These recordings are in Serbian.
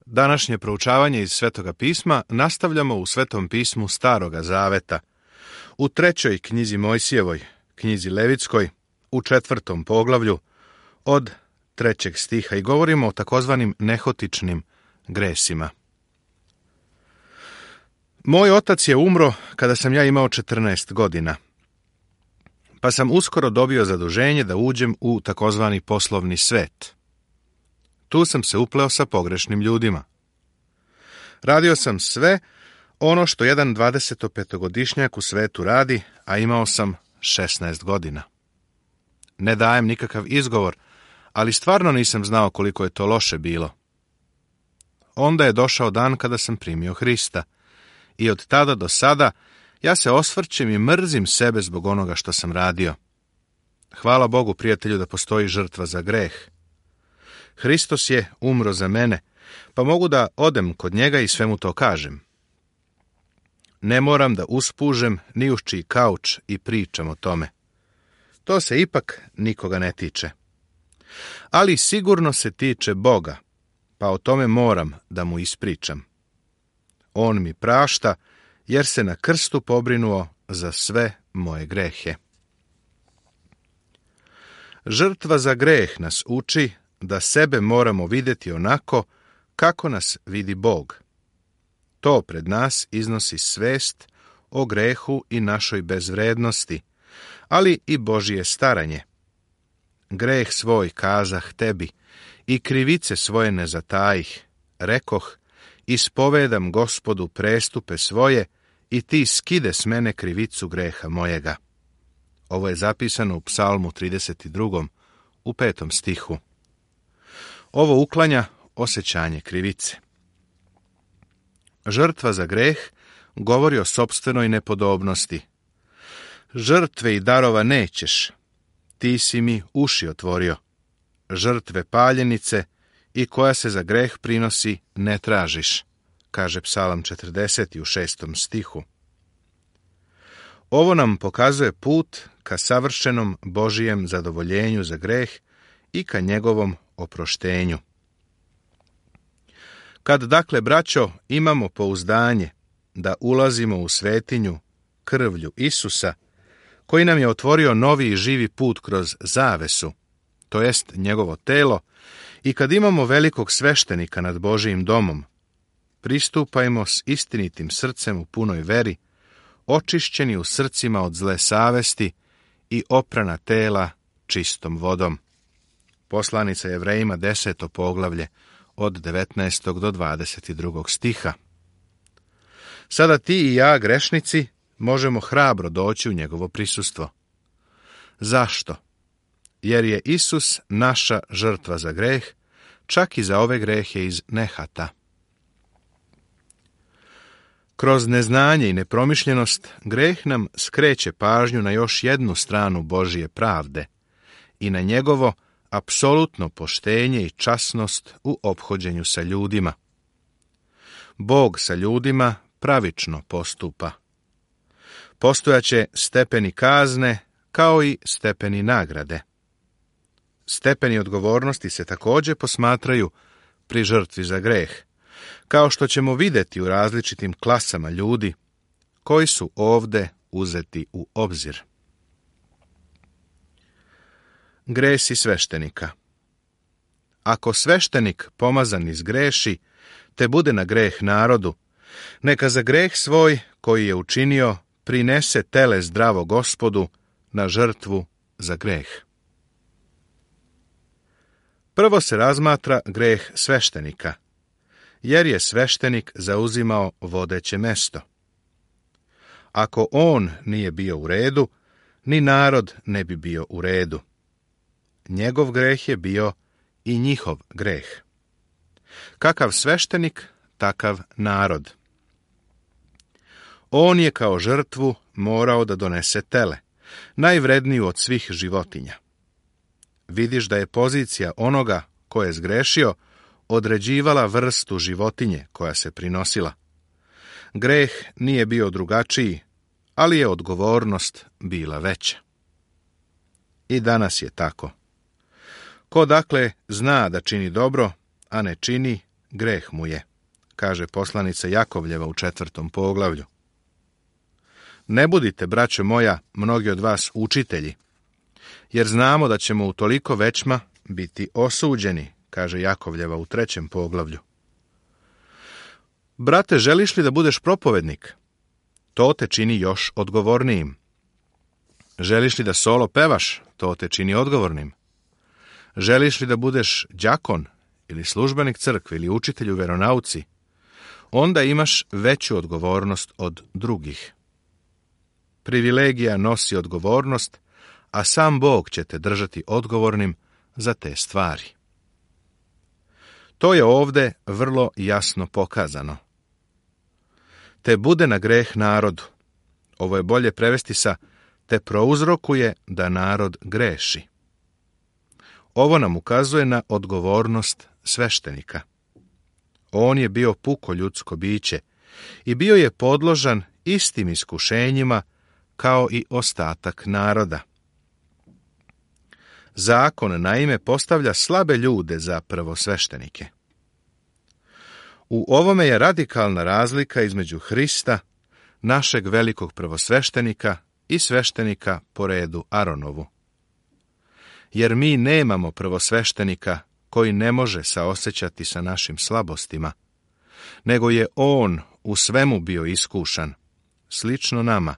Današnje proučavanje iz Svetoga pisma nastavljamo u Svetom pismu Staroga Zaveta, u 3. knjizi Mojsijevoj, knjizi Levitskoj, u 4. poglavlju, od 3. stiha i govorimo o takozvanim nehotičnim gresima. Moj otac je umro kada sam ja imao 14 godina, pa sam uskoro dobio zaduženje da uđem u takozvani poslovni svet. Tu sam se upleo sa pogrešnim ljudima. Radio sam sve ono što jedan 25-godišnjak u svetu radi, a imao sam 16 godina. Ne dajem nikakav izgovor, ali stvarno nisam znao koliko je to loše bilo. Onda je došao dan kada sam primio Hrista i od tada do sada ja se osvrćem i mrzim sebe zbog onoga što sam radio. Hvala Bogu, prijatelju, da postoji žrtva za greh. Hristos je umro za mene, pa mogu da odem kod njega i sve mu to kažem. Ne moram da uspužem ni uz čiji kauč i pričam o tome. To se ipak nikoga ne tiče. Ali sigurno se tiče Boga, pa o tome moram da mu ispričam. On mi prašta, jer se na krstu pobrinuo za sve moje grehe. Žrtva za greh nas uči da sebe moramo vidjeti onako kako nas vidi Bog. To pred nas iznosi svest o grehu i našoj bezvrednosti, ali i Božje staranje. Greh svoj kazah tebi i krivice svoje ne zatajih, rekoh, ispovedam Gospodu prestupe svoje i ti skide s mene krivicu greha mojega. Ovo je zapisano u Psalmu 32. u 5. stihu. Ovo uklanja osjećanje krivice. Žrtva za greh govori o sopstvenoj nepodobnosti. Žrtve i darova nećeš, ti si mi uši otvorio. Žrtve paljenice i koja se za greh prinosi ne tražiš, kaže Psalam 40. u 6. stihu. Ovo nam pokazuje put ka savršenom Božijem zadovoljenju za greh i ka njegovom oproštenju. Kad, dakle, braćo, imamo pouzdanje da ulazimo u svetinju krvlju Isusa, koji nam je otvorio novi i živi put kroz zavesu, to jest njegovo telo, i kad imamo velikog sveštenika nad Božijim domom, pristupajmo s istinitim srcem u punoj veri, očišćeni u srcima od zle savesti i oprana tela čistom vodom. Poslanica Jevrejima 10. poglavlje od 19. do 22. stiha. Sada ti i ja, grešnici, možemo hrabro doći u njegovo prisustvo. Zašto? Jer je Isus naša žrtva za greh, čak i za ove grehe iz nehata. Kroz neznanje i nepromišljenost greh nam skreće pažnju na još jednu stranu Božije pravde i na njegovo apsolutno poštenje i časnost u ophođenju sa ljudima. Bog sa ljudima pravično postupa. Postojaće stepeni kazne kao i stepeni nagrade. Stepeni odgovornosti se također posmatraju pri žrtvi za greh, kao što ćemo vidjeti u različitim klasama ljudi koji su ovdje uzeti u obzir. Gresi sveštenika. Ako sveštenik pomazan izgreši, te bude na greh narodu, neka za greh svoj koji je učinio prinese tele zdravo Gospodu na žrtvu za greh. Prvo se razmatra greh sveštenika, jer je sveštenik zauzimao vodeće mesto. Ako on nije bio u redu, ni narod ne bi bio u redu. Njegov greh je bio i njihov greh. Kakav sveštenik, takav narod. On je kao žrtvu morao da donese tele, najvredniju od svih životinja. Vidiš da je pozicija onoga ko je zgrešio određivala vrstu životinje koja se prinosila. Greh nije bio drugačiji, ali je odgovornost bila veća. I danas je tako. Ko dakle zna da čini dobro, a ne čini, greh mu je, kaže poslanica Jakovljeva u 4. poglavlju. Ne budite, braćo moja, mnogi od vas učitelji, jer znamo da ćemo u toliko većma biti osuđeni, kaže Jakovljeva u 3. poglavlju. Brate, želiš li da budeš propovednik? To te čini još odgovornijim. Želiš li da solo pevaš? To te čini odgovornim. Želiš li da budeš đakon ili službenik crkve ili učitelj u veronauci? Onda imaš veću odgovornost od drugih. Privilegija nosi odgovornost, a sam Bog će te držati odgovornim za te stvari. To je ovdje vrlo jasno pokazano. Te bude na greh narodu. Ovo je bolje prevesti sa te prouzrokuje da narod greši. Ovo nam ukazuje na odgovornost sveštenika. On je bio puko ljudsko biće i bio je podložan istim iskušenjima kao i ostatak naroda. Zakon, naime, postavlja slabe ljude za prvosveštenike. U ovome je radikalna razlika između Hrista, našeg velikog prvosveštenika, i sveštenika po redu Aronovu. Jer mi nemamo prvosveštenika koji ne može saosećati sa našim slabostima, nego je on u svemu bio iskušan, slično nama,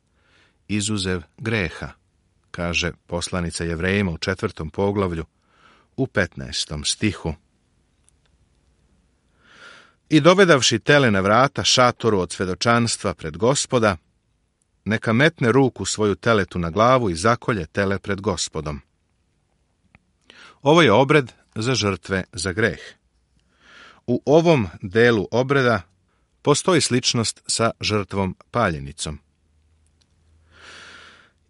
izuzev greha, kaže poslanica Jevrejima u 4. poglavlju u 15. stihu. I dovedavši tele na vrata šatoru od svedočanstva pred Gospoda, neka metne ruku svoju teletu na glavu i zakolje tele pred Gospodom. Ovo je obred za žrtve za greh. U ovom delu obreda postoji sličnost sa žrtvom paljenicom.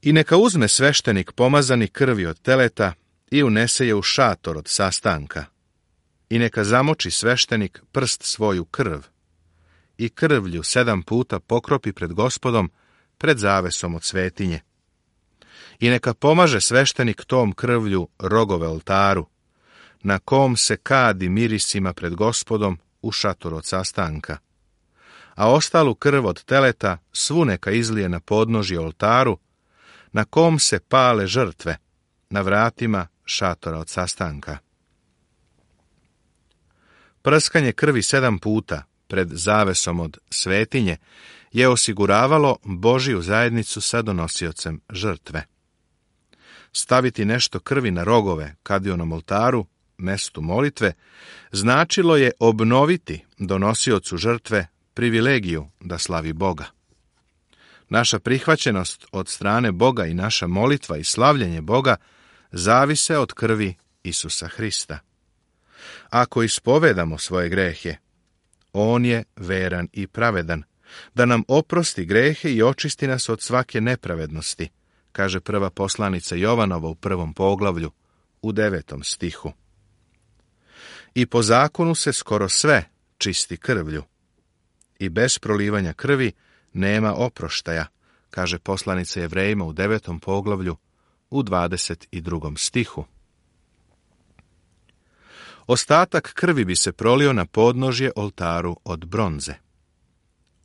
I neka uzme sveštenik pomazani krvi od teleta i unese je u šator od sastanka. I neka zamoči sveštenik prst svoju krv i krvlju 7 puta pokropi pred Gospodom, pred zavesom od svetinje. I neka pomaže sveštenik tom krvlju rogove oltaru, na kom se kadi mirisima pred Gospodom u šatoru od sastanka. A ostalu krv od teleta svu neka izlije na podnožje oltaru, na kom se pale žrtve, na vratima šatora od sastanka. Prskanje krvi 7 puta pred zavesom od svetinje je osiguravalo Božiju zajednicu sa donosiocem žrtve. Staviti nešto krvi na rogove kadionom oltaru, mestu molitve, značilo je obnoviti donosiocu žrtve privilegiju da slavi Boga. Naša prihvaćenost od strane Boga i naša molitva i slavljenje Boga zavise od krvi Isusa Hrista. Ako ispovedamo svoje grehe, on je veran i pravedan, da nam oprosti grehe i očisti nas od svake nepravednosti, kaže prva poslanica Jovanova u 1. poglavlju, u 9. stihu. I po zakonu se skoro sve čisti krvlju. I bez prolivanja krvi nema oproštaja, kaže poslanica Jevrejima u 9. poglavlju, u 22. stihu. Ostatak krvi bi se prolio na podnožje oltaru od bronze.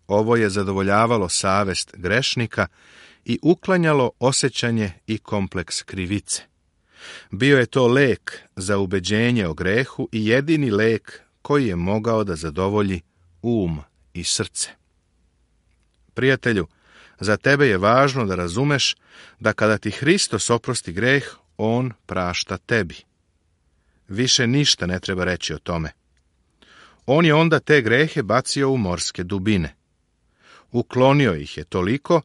Ovo je zadovoljavalo savest grešnika i uklanjalo osjećanje i kompleks krivice. Bio je to lek za ubeđenje o grehu i jedini lek koji je mogao da zadovolji um i srce. Prijatelju, za tebe je važno da razumeš da kada ti Hristos oprosti greh, on prašta tebi. Više ništa ne treba reći o tome. On je onda te grehe bacio u morske dubine. Uklonio ih je toliko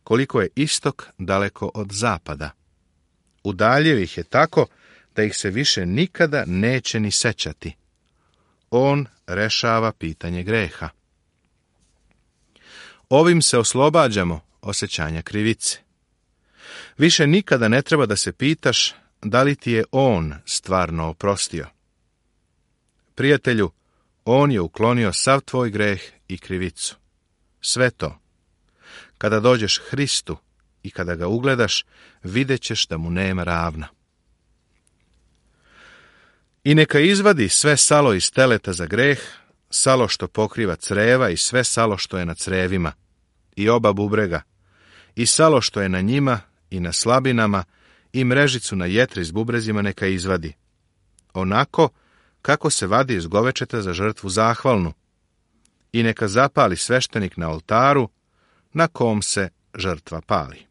koliko je istok daleko od zapada. Udaljio ih je tako da ih se više nikada neće ni sećati. On rešava pitanje greha. Ovim se oslobađamo osjećanja krivice. Više nikada ne treba da se pitaš da li ti je on stvarno oprostio. Prijatelju, on je uklonio sav tvoj greh i krivicu. Sve to. Kada dođeš Hristu i kada ga ugledaš, vidjet ćeš da mu nema ravna. I neka izvadi sve salo iz teleta za greh, salo što pokriva creva i sve salo što je na crevima, i oba bubrega, i salo što je na njima i na slabinama, i mrežicu na jetri s bubrezima neka izvadi, onako kako se vadi iz govečeta za žrtvu zahvalnu, i neka zapali sveštenik na oltaru na kom se žrtva pali.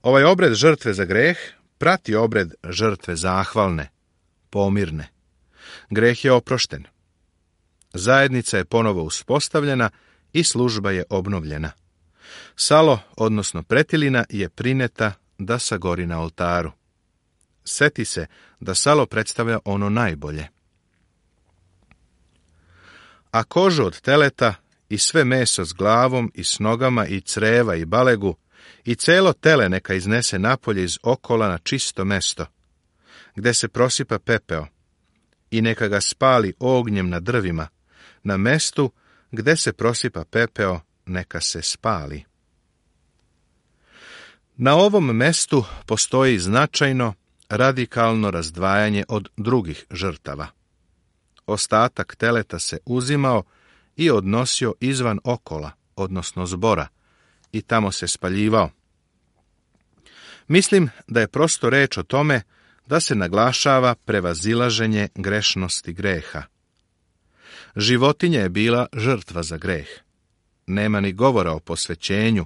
Ovaj obred žrtve za greh prati obred žrtve zahvalne, pomirne. Greh je oprošten. Zajednica je ponovo uspostavljena i služba je obnovljena. Salo, odnosno pretilina, je prineta da sagori na oltaru. Seti se da salo predstavlja ono najbolje. A kožu od teleta i sve meso s glavom i s nogama i creva i balegu i celo tele neka iznese napolje iz okola na čisto mesto, gde se prosipa pepeo, i neka ga spali ognjem na drvima, na mestu gde se prosipa pepeo neka se spali. Na ovom mestu postoji značajno, radikalno razdvajanje od drugih žrtava. Ostatak teleta se uzimao i odnosio izvan okola, odnosno zbora, i tamo se spaljivao. Mislim da je prosto reč o tome da se naglašava prevazilaženje grešnosti greha. Životinja je bila žrtva za greh. Nema ni govora o posvećenju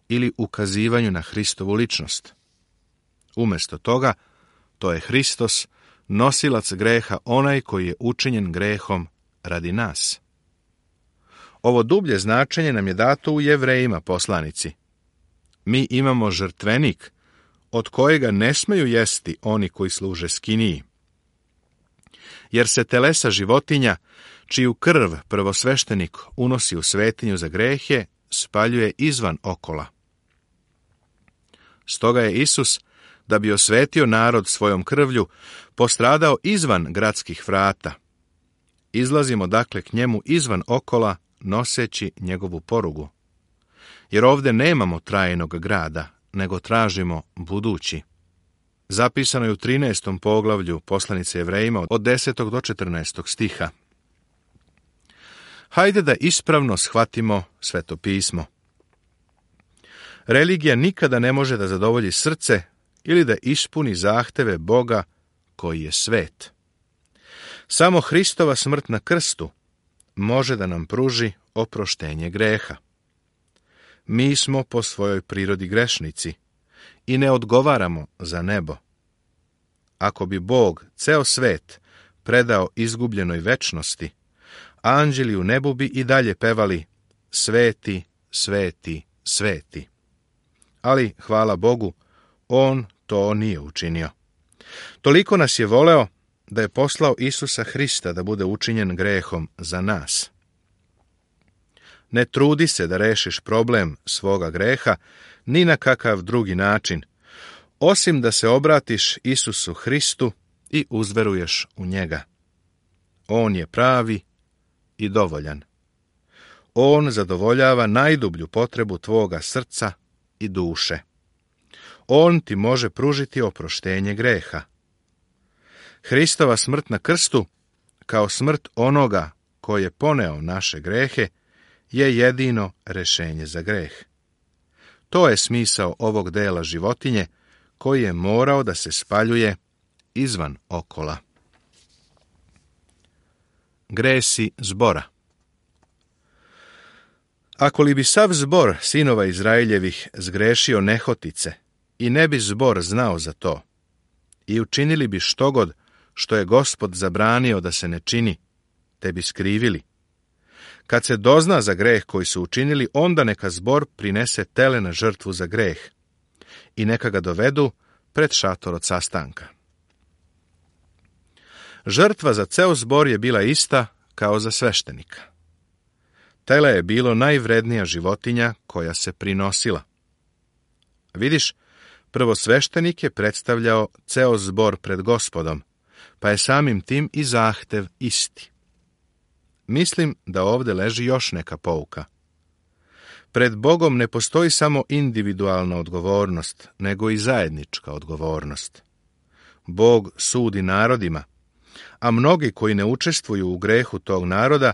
ili ukazivanju na Hristovu ličnost. Umjesto toga, to je Hristos, nosilac greha, onaj koji je učinjen grehom radi nas. Ovo dublje značenje nam je dato u Jevrejima poslanici. Mi imamo žrtvenik, od kojega ne smeju jesti oni koji služe skiniji. Jer se telesa životinja, čiju krv prvosveštenik unosi u svetinju za grehe, spaljuje izvan okola. Stoga je Isus, da bi osvetio narod svojom krvlju, postradao izvan gradskih vrata. Izlazimo dakle k njemu izvan okola, noseći njegovu porugu. Jer ovdje nemamo trajnog grada, nego tražimo budući. Zapisano je u 13. poglavlju poslanice Jevrejima od 10. do 14. stiha. Hajde da ispravno shvatimo Sveto pismo. Religija nikada ne može da zadovolji srce ili da ispuni zahteve Boga koji je svet. Samo Hristova smrt na krstu može da nam pruži oproštenje greha. Mi smo po svojoj prirodi grešnici i ne odgovaramo za nebo. Ako bi Bog ceo svet predao izgubljenoj večnosti, anđeli u nebu bi i dalje pevali sveti, sveti, sveti. Ali, hvala Bogu, on to nije učinio. Toliko nas je voleo da je poslao Isusa Hrista da bude učinjen grehom za nas. Ne trudi se da rešiš problem svoga greha ni na kakav drugi način, osim da se obratiš Isusu Hristu i uzveruješ u njega. On je pravi i dovoljan. On zadovoljava najdublju potrebu tvoga srca i duše. On ti može pružiti oproštenje greha. Hristova smrt na krstu, kao smrt onoga koji je poneo naše grehe, je jedino rešenje za greh. To je smisao ovog dela životinje koji je morao da se spaljuje izvan okola. Gresi zbora. Ako li bi sav zbor sinova Izraeljevih zgrešio nehotice i ne bi zbor znao za to, i učinili bi štogod što je Gospod zabranio da se ne čini, te bi skrivili. Kad se dozna za greh koji su učinili, onda neka zbor prinese tele na žrtvu za greh i neka ga dovedu pred šator od sastanka. Žrtva za ceo zbor je bila ista kao za sveštenika. Tele je bilo najvrednija životinja koja se prinosila. Vidiš, prvosveštenik je predstavljao ceo zbor pred Gospodom, pa je samim tim i zahtev isti. Mislim da ovdje leži još neka pouka. Pred Bogom ne postoji samo individualna odgovornost, nego i zajednička odgovornost. Bog sudi narodima, a mnogi koji ne učestvuju u grehu tog naroda,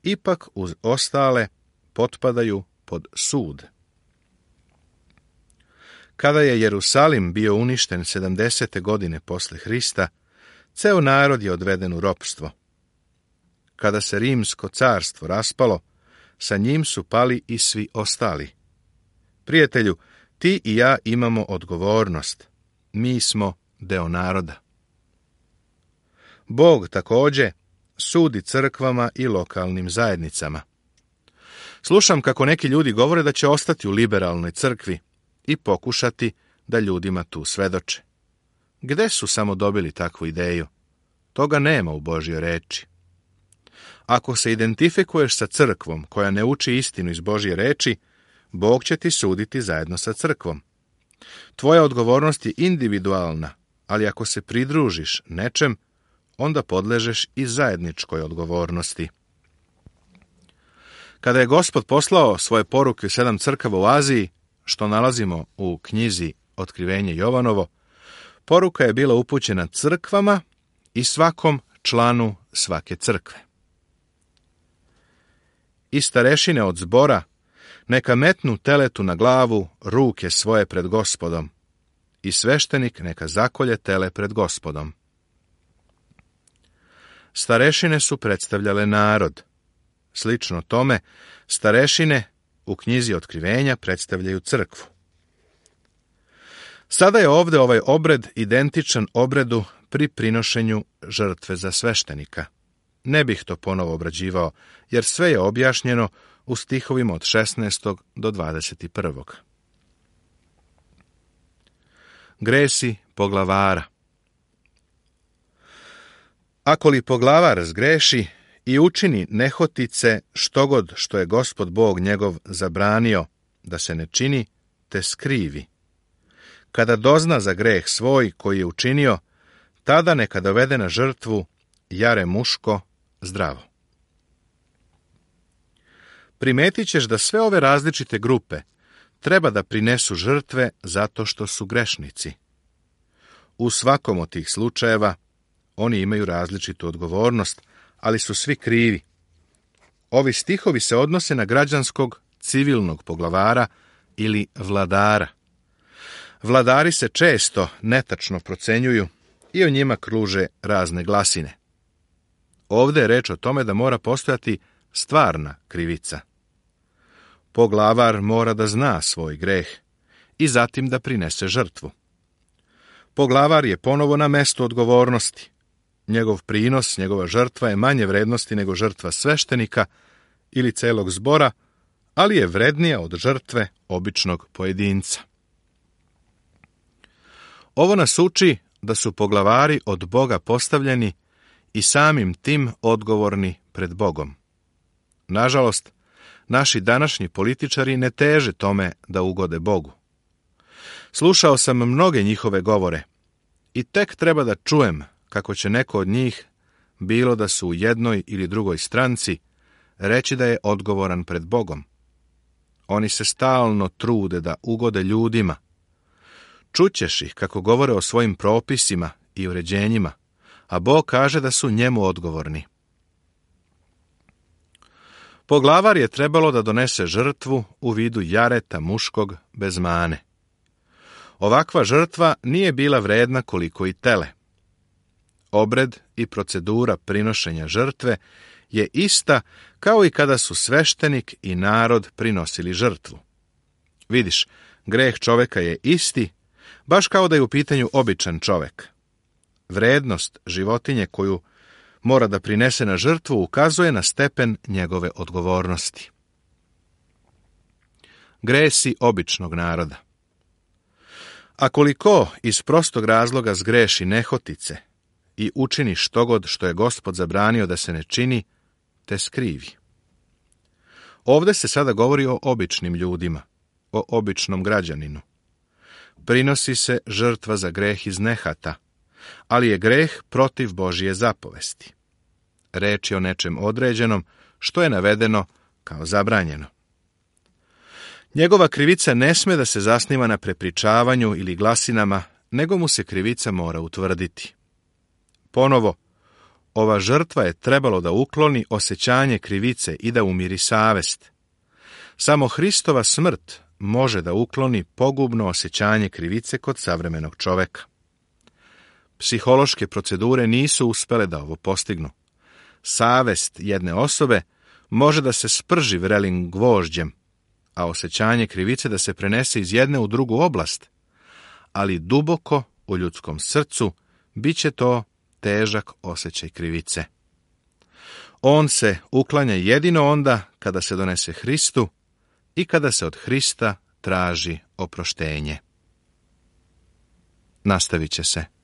ipak uz ostale potpadaju pod sud. Kada je Jerusalim bio uništen 70. godine posle Hrista, ceo narod je odveden u ropstvo. Kada se Rimsko carstvo raspalo, sa njim su pali i svi ostali. Prijatelju, ti i ja imamo odgovornost. Mi smo deo naroda. Bog također sudi crkvama i lokalnim zajednicama. Slušam kako neki ljudi govore da će ostati u liberalnoj crkvi i pokušati da ljudima tu svedoče. Gde su samo dobili takvu ideju? Toga nema u Božjoj reči. Ako se identifikuješ sa crkvom koja ne uči istinu iz Božje reči, Bog će ti suditi zajedno sa crkvom. Tvoja odgovornost je individualna, ali ako se pridružiš nečem, onda podležeš i zajedničkoj odgovornosti. Kada je Gospod poslao svoje poruke u 7 crkava u Aziji, što nalazimo u knjizi Otkrivenje Jovanovo, poruka je bila upućena crkvama i svakom članu svake crkve. I starešine od zbora neka metnu teletu na glavu ruke svoje pred Gospodom, i sveštenik neka zakolje tele pred Gospodom. Starešine su predstavljale narod. Slično tome, starešine u knjizi Otkrivenja predstavljaju crkvu. Sada je ovdje ovaj obred identičan obredu pri prinošenju žrtve za sveštenika. Ne bih to ponovo obrađivao, jer sve je objašnjeno u stihovima od 16. do 21. Gresi poglavara. Ako li poglavar zgreši i učini nehotice štogod što je Gospod Bog njegov zabranio da se ne čini, te skrivi. Kada dozna za greh svoj koji je učinio, tada neka dovede na žrtvu jare muško zdravo. Primetit ćeš da sve ove različite grupe treba da prinesu žrtve zato što su grešnici. U svakom od tih slučajeva oni imaju različitu odgovornost, ali su svi krivi. Ovi stihovi se odnose na građanskog civilnog poglavara ili vladara. Vladari se često netačno procenjuju i o njima kruže razne glasine. Ovdje je reč o tome da mora postojati stvarna krivica. Poglavar mora da zna svoj greh i zatim da prinese žrtvu. Poglavar je ponovo na mestu odgovornosti. Njegov prinos, njegova žrtva je manje vrednosti nego žrtva sveštenika ili celog zbora, ali je vrednija od žrtve običnog pojedinca. Ovo nas uči da su poglavari od Boga postavljeni i samim tim odgovorni pred Bogom. Nažalost, naši današnji političari ne teže tome da ugode Bogu. Slušao sam mnoge njihove govore i tek treba da čujem kako će neko od njih, bilo da su u jednoj ili drugoj stranci, reći da je odgovoran pred Bogom. Oni se stalno trude da ugode ljudima. Čućeš ih kako govore o svojim propisima i uređenjima, a Bog kaže da su njemu odgovorni. Poglavar je trebalo da donese žrtvu u vidu jareta muškog bez mane. Ovakva žrtva nije bila vredna koliko i tele. Obred i procedura prinošenja žrtve je ista kao i kada su sveštenik i narod prinosili žrtvu. Vidiš, greh čoveka je isti, baš kao da je u pitanju običan čovek. Vrednost životinje koju mora da prinese na žrtvu ukazuje na stepen njegove odgovornosti. Gresi običnog naroda. A koliko iz prostog razloga zgreši nehotice i učini štogod što je Gospod zabranio da se ne čini, te skrivi. Ovdje se sada govori o običnim ljudima, o običnom građaninu. Prinosi se žrtva za greh iz nehata, ali je greh protiv Božje zapovesti. Reč je o nečem određenom što je navedeno kao zabranjeno. Njegova krivica ne sme da se zasniva na prepričavanju ili glasinama, nego mu se krivica mora utvrditi. Ponovo, ova žrtva je trebalo da ukloni osjećanje krivice i da umiri savest. Samo Hristova smrt može da ukloni pogubno osjećanje krivice kod savremenog čoveka. Psihološke procedure nisu uspele da ovo postignu. Savest jedne osobe može da se sprži vrelim gvožđem, a osjećanje krivice da se prenese iz jedne u drugu oblast, ali duboko u ljudskom srcu bit će to težak osjećaj krivice. On se uklanja jedino onda kada se donese Hristu i kada se od Hrista traži oproštenje. Nastavit će se.